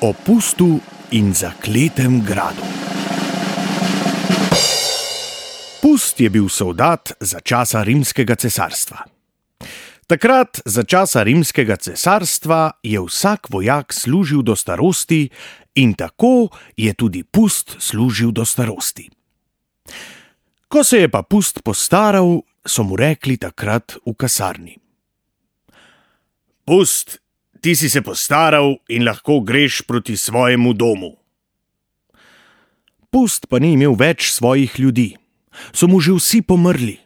O pustu in zakletem gradu. Pust je bil soldat za časa rimskega cesarstva. Takrat, za časa rimskega cesarstva, je vsak vojak služil do starosti in tako je tudi Pust služil do starosti. Ko se je pa Pust postaral, so mu rekli takrat v kasarni: Pust, ti si se postaral in lahko greš proti svojemu domu. Pust pa ni imel več svojih ljudi, so mu že vsi pomrli.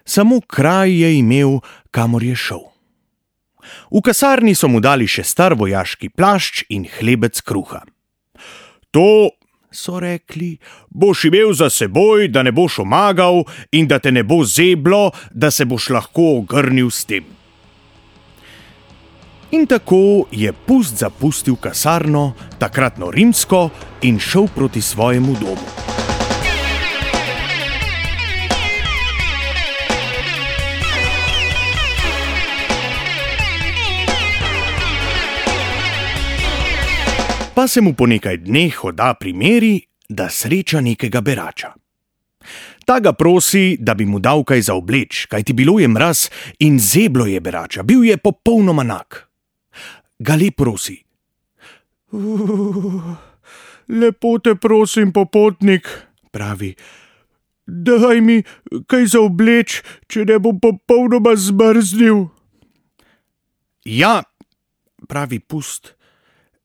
Samo kraj je imel, kamor je šel. V kasarni so mu dali še star vojaški plašč in hlebec kruha. To, so rekli, boš imel za seboj, da ne boš omagal in da te ne bo zeblo, da se boš lahko ogrnil s tem. In tako je Pust zapustil kasarno, takratno rimsko, in šel proti svojemu domu. Pa se mu po nekaj dneh hoda primeri, da sreča nekega berača. Ta ga prosi, da bi mu dal kaj za obleč, kajti bilo je mraz in zeblo je berača, bil je popolnoma nag. Ga le prosi: Lepo te prosim, popotnik, pravi, daj mi kaj za obleč, če ne bom popolnoma zmrznil. Ja, pravi Pust,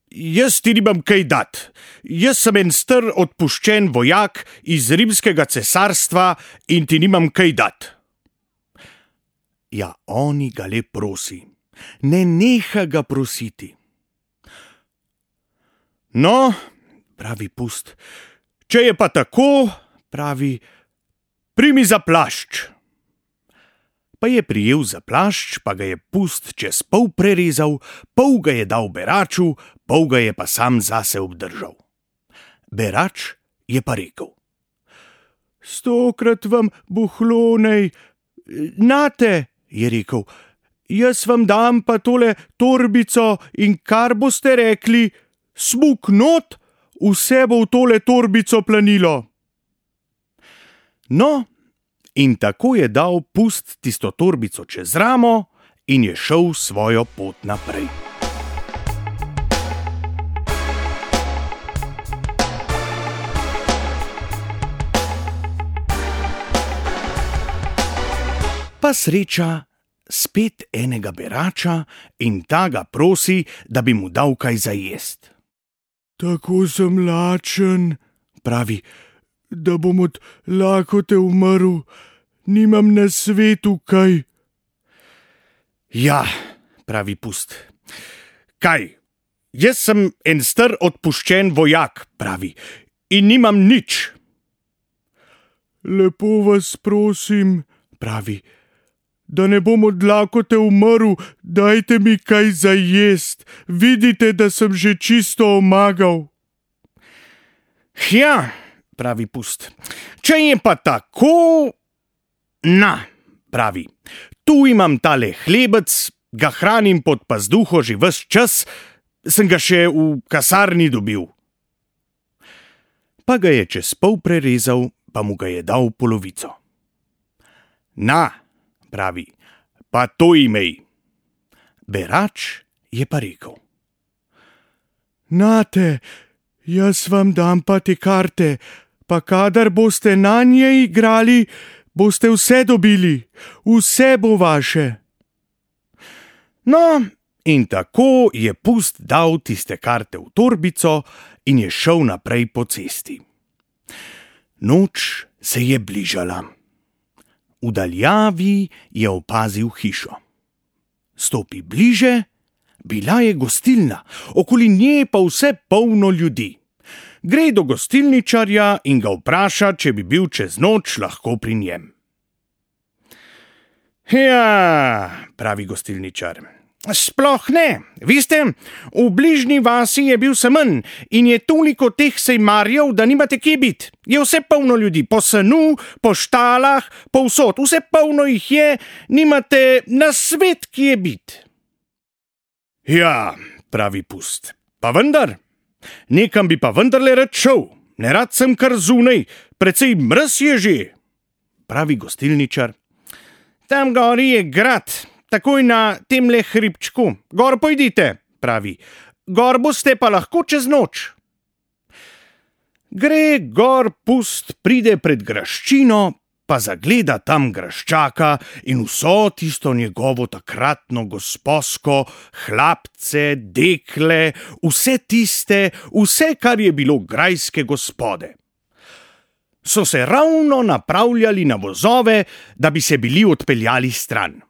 jaz ti nimam kaj dat. Jaz sem en star odpuščen vojak iz rimskega cesarstva in ti nimam kaj dat. Ja, oni ga le prosi, ne neha ga prositi. No, pravi Pust, če je pa tako, pravi, primi za plašč. Pa je prijel za plašč, pa ga je Pust čez pol prerezal, pol ga je dal beraču, pol ga je pa sam zase obdržal. Berač je pa rekel: 100-krat vam buhlonej. Nate, je rekel, jaz vam dam pa tole torbico in kar boste rekli, smuk not, vse bo v tole torbico planilo. No, in tako je dal Pust tisto torbico čez ramo in je šel svojo pot naprej. Pa sreča spet enega berača in ta ga prosi, da bi mu dal kaj za jest. Tako sem lačen, pravi, da bom od lakote umrl, nimam na svetu kaj. Ja, pravi Pust, kaj? Jaz sem en star odpuščen vojak, pravi, in nimam nič. Lepo vas prosim, pravi, da ne bom od lakote umrl, dajte mi kaj za jest, vidite, da sem že čisto omagal. Ja, pravi Pust, če je pa tako, na, pravi, tu imam tale hlebec, ga hranim pod pazduho že ves čas, sem ga še v kasarni dobil. Pa ga je čez pol prerezal, pa mu ga je dal polovico. Na, pravi, pa to imej. Berač je pa rekel: Nate, jaz vam dam pa te karte, pa kadar boste na nje igrali, boste vse dobili, vse bo vaše. No, in tako je Pust dal tiste karte v torbico in je šel naprej po cesti. Noč se je bližala. V daljavi je opazil hišo. Stopi bliže, bila je gostilna, okoli nje pa vse polno ljudi. Gre do gostilničarja in ga vpraša, če bi bil čez noč lahko pri njem. Ja, pravi gostilničar, sploh ne. Veste, v bližnji vasi je bil semenj in je toliko teh sejmarjev, da nimate kje biti. Je vse polno ljudi, po senu, po štalah, povsod, vse polno jih je, nimate na svet kje biti. Ja, pravi Pust, Pa vendar, nekam bi pa vendarle rad šel, nerad sem kar zunaj, precej mraz je že, pravi gostilničar. Tam gori je grad, takoj na temle hribčku, gor pojdite, pravi, gor boste pa lahko čez noč. Gre gor Pust, pride pred graščino, pa zagleda tam graščaka in vso tisto njegovo takratno gosposko, hlapce, dekle, vse, kar je bilo grajske gospode. So se ravno napravljali na vozove, da bi se bili odpeljali stran.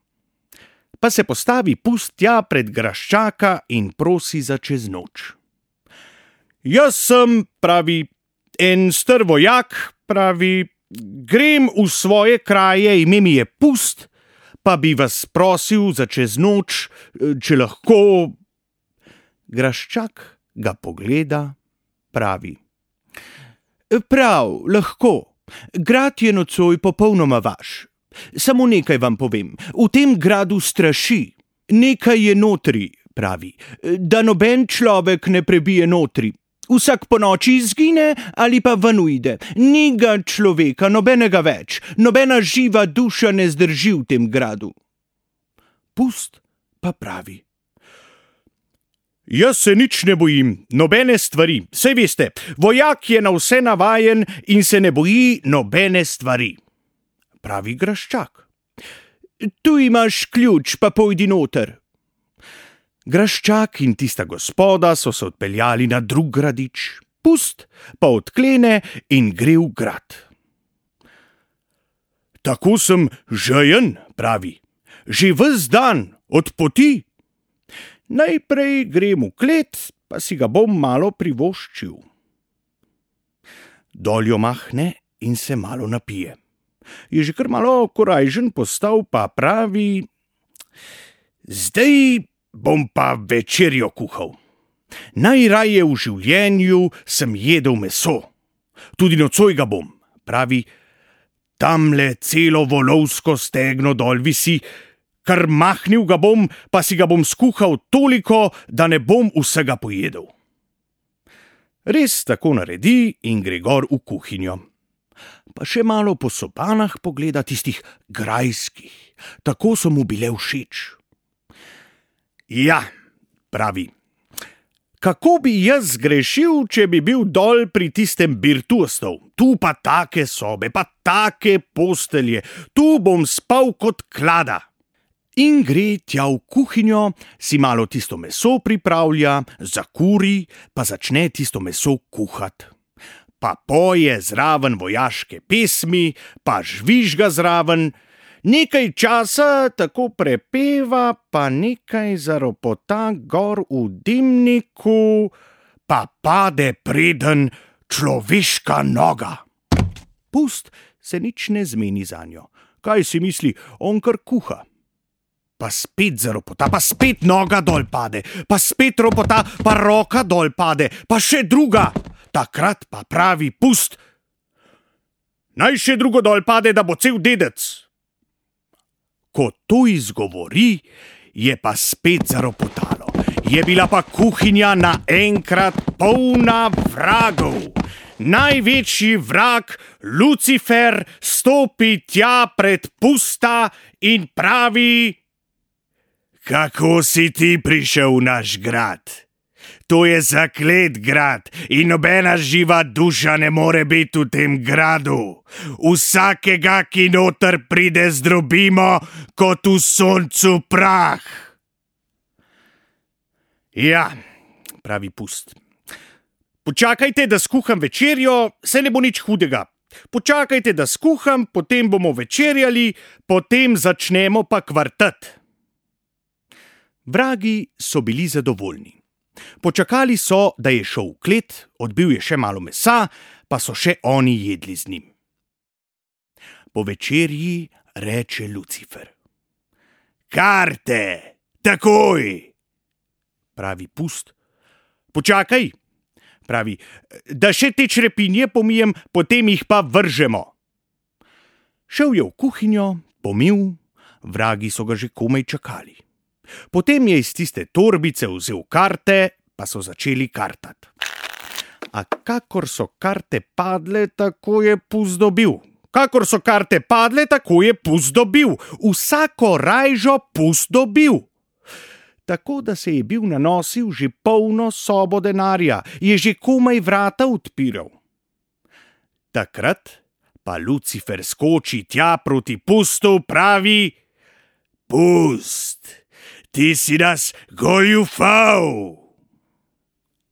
Pa se postavi Pust tja pred graščaka in prosi za čez noč. Jaz sem, pravi, en star vojak, pravi, grem v svoje kraje, ime mi je Pust, pa bi vas prosil za čez noč, če lahko. Graščak ga pogleda, pravi. Prav, lahko. Grad je nocoj popolnoma vaš. Samo nekaj vam povem, v tem gradu straši. Nekaj je notri, pravi, da noben človek ne prebije notri. Vsak po noči izgine ali pa ven uide. Ni ga človeka, nobenega več, nobena živa duša ne zdrži v tem gradu. Pust pa pravi. Jaz se nič ne bojim, nobene stvari, saj veste, vojak je na vse navajen in se ne boji nobene stvari. Pravi graščak. Tu imaš ključ, pa pojdi noter. Graščak in tista gospoda so se odpeljali na drug gradič, Pust pa odklene in gre v grad. Tako sem žejen, pravi, že ves dan, od poti. Najprej grem v klet, pa si ga bom malo privoščil. Dol jo mahne in se malo napije. Je že kar malo korajžen postal, pa pravi, zdaj bom pa večerjo kuhal. Najraje v življenju sem jedel meso. Tudi nocoj ga bom, pravi, tamle celo volovsko stegno dol visi, kar mahnil ga bom, pa si ga bom skuhal toliko, da ne bom vsega pojedel. Res tako naredi in gre gor v kuhinjo. Pa še malo po sobanah pogleda tistih grajskih, tako so mu bile všeč. Ja, pravi, kako bi jaz zgrešil, če bi bil dol pri tistem Birtuostov? Tu pa take sobe, pa take postelje, tu bom spal kot klada. In gre tja v kuhinjo, si malo tisto meso pripravlja, zakuri, pa začne tisto meso kuhat. Pa poje zraven vojaške pesmi, pa žvižga zraven, nekaj časa tako prepeva, pa nekaj zaropota gor v dimniku, pa pade preden človeška noga. Pust se nič ne zmeni zanjo. Kaj si misli, on kar kuha. Pa spet zaropota, pa spet noga dol pade, pa spet ropota, pa roka dol pade, pa še druga. Takrat pa pravi Pust, naj še drugo dol pade, da bo cel dedec. Ko to izgovori, je pa spet zaropotalo. Je bila pa kuhinja naenkrat polna vragov. Največji vrag, Lucifer, stopi tja pred Pusta in pravi: Kako si ti prišel v naš grad? To je zaklet grad in nobena živa duša ne more biti v tem gradu. Vsakega, ki noter pride, zdrobimo kot v soncu prah. Ja, pravi Pust. Počakajte, da skuham večerjo, se ne bo nič hudega. Počakajte, da skuham, potem bomo večerjali, potem začnemo pa kvartet. Vragi so bili zadovoljni. Počakali so, da je šel v klet, odbil je še malo mesa, pa so še oni jedli z njim. Po večerji reče Lucifer: Karte, takoj! Pravi Pust. Počakaj, pravi, da še te črepinje pomijem, potem jih pa vržemo. Šel je v kuhinjo, pomil, vragi so ga že komaj čakali. Potem je iz tiste torbice vzel karte, pa so začeli kartati. A kakor so karte padle, tako je pust dobil. Kakor so karte padle, tako je pust dobil. Vsako rajžo pust dobil. Tako da se je bil nanosil že polno sobo denarja, je že komaj vrata odpiral. Takrat pa Lucifer skoči tja proti pustu, pravi: Pust, ti si nas goljufal.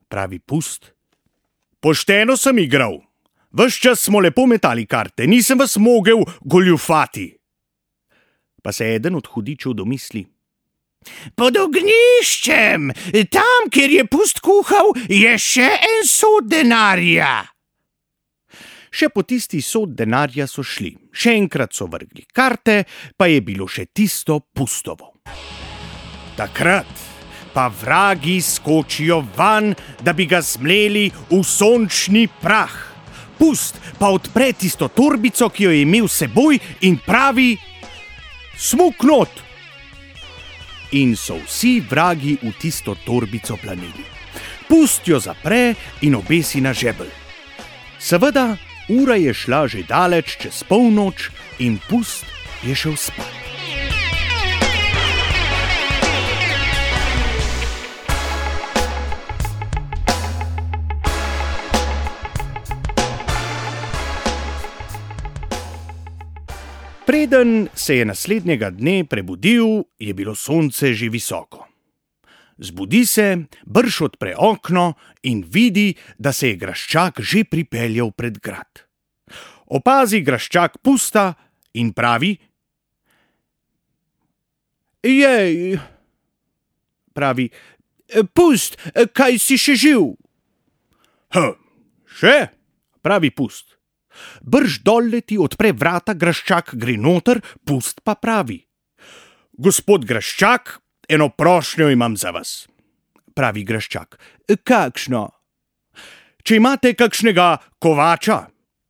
Pravi pust: Pošteno sem igral. Ves čas smo lepo metali karte, nisem vas mogel goljufati. Pa se eden od hudičev domisli: Pod ognjiščem, tam, kjer je pust kuhal, je še en sod denarja. Še po tisti sod denarja so šli, še enkrat so vrgli karte, pa je bilo še tisto pustovo. Takrat pa vragi skočijo van, da bi ga zmleli v sončni prah. Pust pa odpre tisto torbico, ki jo je imel s seboj, in pravi: Smuk not! In so vsi vragi v tisto torbico planili. Pust jo zapre in obesi na žebelj. Seveda, ura je šla že daleč čez polnoč in pust je šel spat. Preden se je naslednjega dne prebudil, je bilo sonce že visoko. Zbudi se, brž odpre okno in vidi, da se je graščak že pripeljal pred grad. Opazi graščak pusta in pravi: Jej, pravi, pust, kaj si še živ? Še, pravi pust. Brž dol leti, odpre vrata, graščak gre noter, pust pa pravi: Gospod graščak, eno prošnjo imam za vas. Pravi graščak: Kakšno? Če imate kakšnega kovača?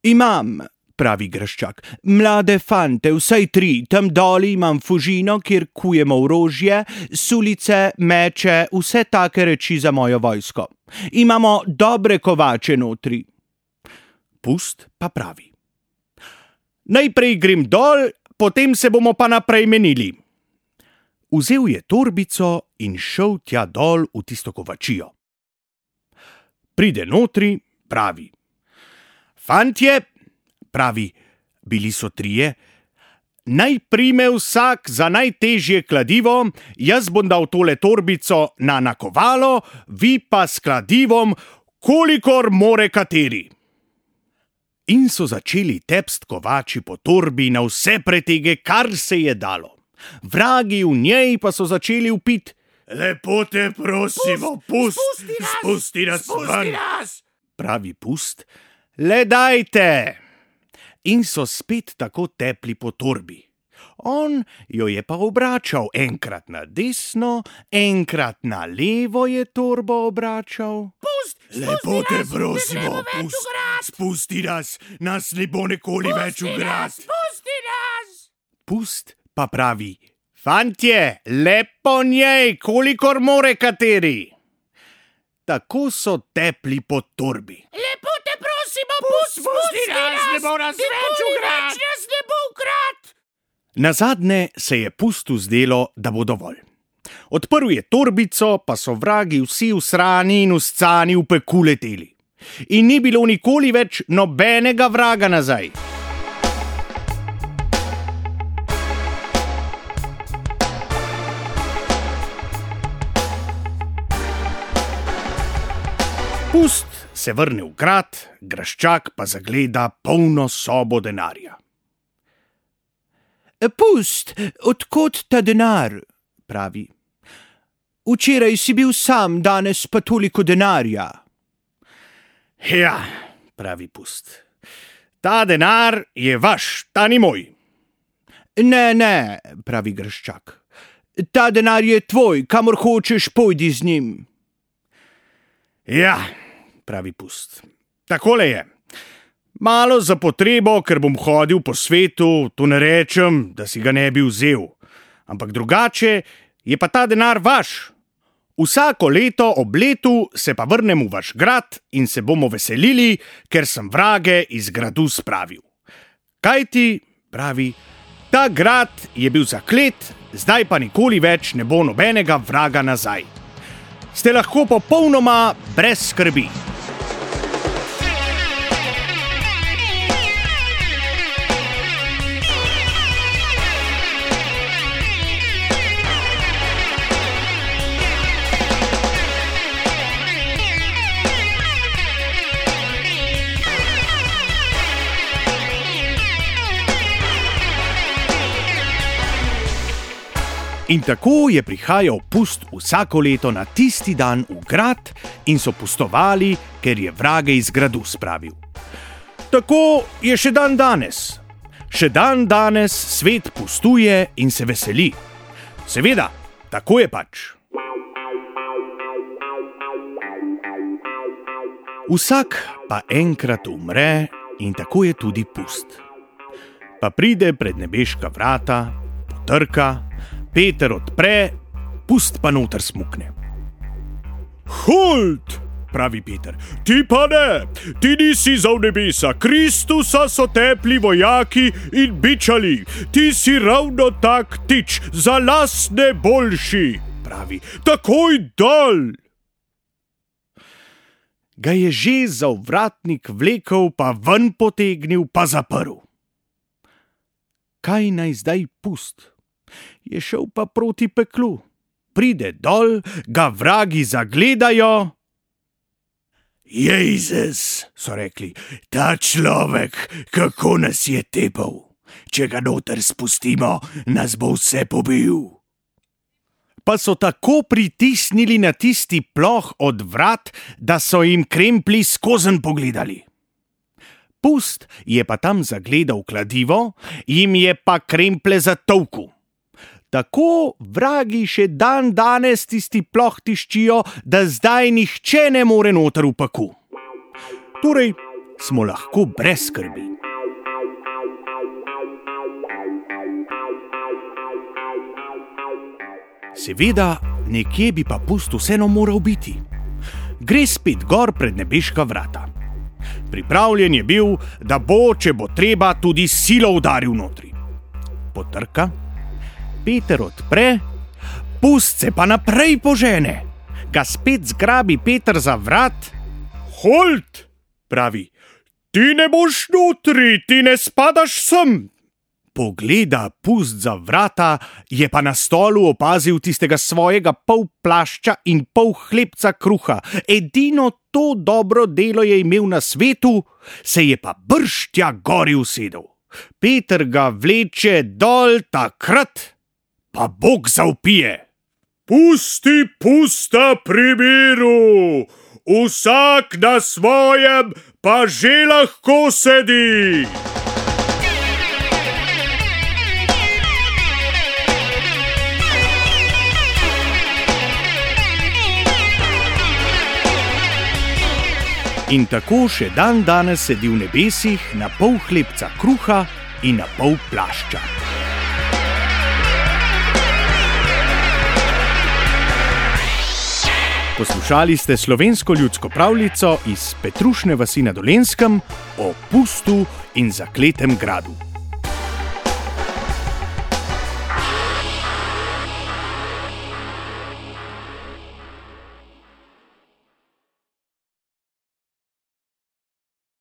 Imam, pravi graščak, mlade fante, vsaj 3, tam doli imam fužino, kjer kujemo orožje, sulice, meče, vse take reči za mojo vojsko. Imamo dobre kovače notri. Pust pa pravi: Najprej grem dol, potem se bomo pa naprej menili. Vzel je torbico in šel tja dol v tisto kovačijo. Pride notri, pravi: Fantje, pravi, bili so 3, naj prime vsak za najtežje kladivo, jaz bom dal tole torbico na nakovalo, vi pa s kladivom, kolikor more kateri. In so začeli tepst kovači po torbi na vse pretege, kar se je dalo. Vragi v njej pa so začeli vpit: Lepo te prosimo, pust, spusti nas ven. Pravi pust: Le dajte. In so spet tako tepli po torbi. On jo je pa obračal, enkrat na desno, enkrat na levo je torbo obračal. Lepo te prosimo, pust, spusti nas, nas ne bo nikoli več v grad. Spusti nas! Pust pa pravi: Fantje, lepo njej, kolikor more kateri. Tako so tepli po torbi. Lepo te prosimo, pust, spusti nas, ne bo nas več v grad. Nazadnje se je pustu zdelo, da bo dovolj. Odprl je torbico, pa so vragi vsi usrani in uscani v peku leteli. In ni bilo nikoli več nobenega vraga nazaj. Pust se vrne v grad, graščak pa zagleda polno sobo denarja. Pust, odkot ta denar? Pravi. Včeraj si bil sam, danes pa toliko denarja. Ja, pravi pust. Ta denar je vaš, ta ni moj. Ne, pravi graščak. Ta denar je tvoj, kamor hočeš, pojdi z njim. Ja, pravi pust. Takole je. Malo za potrebo, ker bom hodil po svetu, to ne rečem, da si ga ne bi vzel. Ampak drugače je pa ta denar vaš. Vsako leto ob letu se pa vrnem v vaš grad in se bomo veselili, ker sem vrage iz gradu spravil. Kajti, pravi, ta grad je bil zaklet, zdaj pa nikoli več ne bo nobenega vraga nazaj. Ste lahko popolnoma brez skrbi. In tako je prihajal pust vsako leto na tisti dan v grad in so pustovali, ker je vrage iz gradu spravil. Tako je še dan danes. Še dan danes svet pustuje in se veseli. Seveda, tako je pač. Vsak pa enkrat umre in tako je tudi pust. Pa pride pred nebeška vrata, potrka, Peter odpre, pust pa noter smukne. Hold, pravi Peter, ti pa ne, ti nisi za v nebesa, Kristusa so tepli vojaki in bičali, ti si ravno tak tič, za las ne boljši, pravi, takoj dol. Ga je že za ovratnik vlekel, pa ven potegnil, pa zaprl. Kaj naj zdaj pust? Je šel pa proti peklu. Pride dol, ga vragi zagledajo. Jejzes, so rekli, ta človek, kako nas je tepal. Če ga noter spustimo, nas bo vse pobil. Pa so tako pritisnili na tisti ploh od vrat, da so jim kremplji skozenj pogledali. Pust je pa tam zagledal kladivo, jim je pa kremple zatolkel. Tako vragi še dan danes tisti ploh tiščijo, da zdaj nihče ne more noter v paku. Torej smo lahko brez skrbi. Seveda, nekje bi pa pust vseeno moral biti. Gre spet gor pred nebeška vrata. Pripravljen je bil, da bo, če bo treba, tudi silo udaril notri. Potrka. Peter odpre, pust se pa naprej požene. Ga spet zgrabi Peter za vrat. Hold, pravi, ti ne boš notri, ti ne spadaš sem. Pogleda pust za vrata, je pa na stolu opazil tistega svojega pol plašča in pol hlebca kruha. Edino to dobro delo je imel na svetu, se je pa brž tja gori usedel. Peter ga vleče dol takrat, pa Bog zavpije. Pusti pusta pri miru, vsak na svojem pa že lahko sedi. In tako še dan danes sedi v nebesih na pol hlebca kruha in na pol plašča. Poslušali ste slovensko ljudsko pravljico iz Petrušne vasi na Dolenjskem o pustu in zakletem gradu.